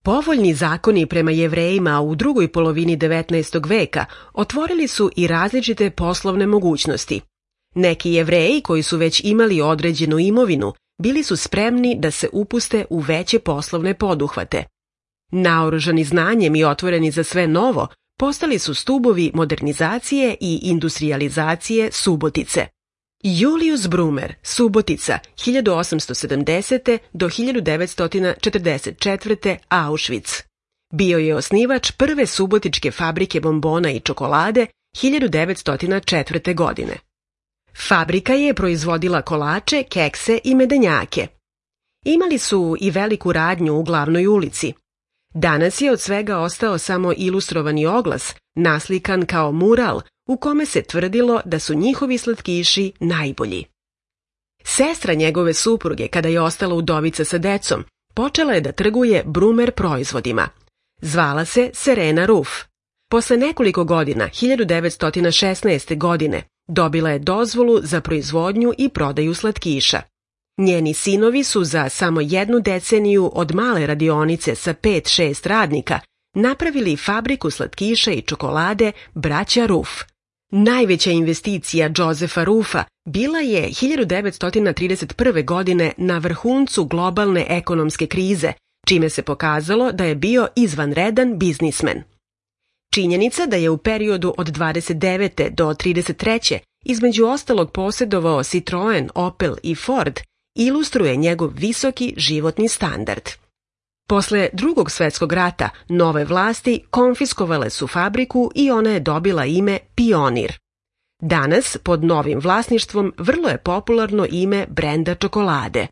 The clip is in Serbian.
Povoljni zakoni prema Jevrejima u drugoj polovini 19. veka otvorili su i različite poslovne mogućnosti. Neki Jevreji koji su već imali određenu imovinu bili su spremni da se upuste u veće poslovne poduhvate. Naoružani znanjem i otvoreni za sve novo, postali su stubovi modernizacije i industrijalizacije Subotice. Julius Brumer, Subotica, 1870. do 1944. Auschwitz. Bio je osnivač prve subotičke fabrike bombona i čokolade 1904. godine. Fabrika je proizvodila kolače, kekse i medenjake. Imali su i veliku radnju u glavnoj ulici. Danas je od svega ostao samo ilustrovani oglas, naslikan kao mural, u kome se tvrdilo da su njihovi slatkiši najbolji. Sestra njegove supruge, kada je ostala udovica sa decom, počela je da trguje Brumer proizvodima. Zvala se Serena Ruff. Posle nekoliko godina, 1916. godine, dobila je dozvolu za proizvodnju i prodaju slatkiša. Njeni sinovi su za samo jednu deceniju od male radionice sa 5-6 radnika napravili fabriku slatkiša i čokolade braća Ruff. Najveća investicija Josefa Ruffa bila je 1931. godine na vrhuncu globalne ekonomske krize, čime se pokazalo da je bio izvanredan biznismen. Činjenica da je u periodu od 29. do 33. između ostalog posjedovao Citroen, Opel i Ford, ilustruje njegov visoki životni standard. Posle Drugog svjetskog rata nove vlasti konfiskovale su fabriku i ona je dobila ime Pionir. Danas, pod novim vlasništvom, vrlo je popularno ime brenda čokolade.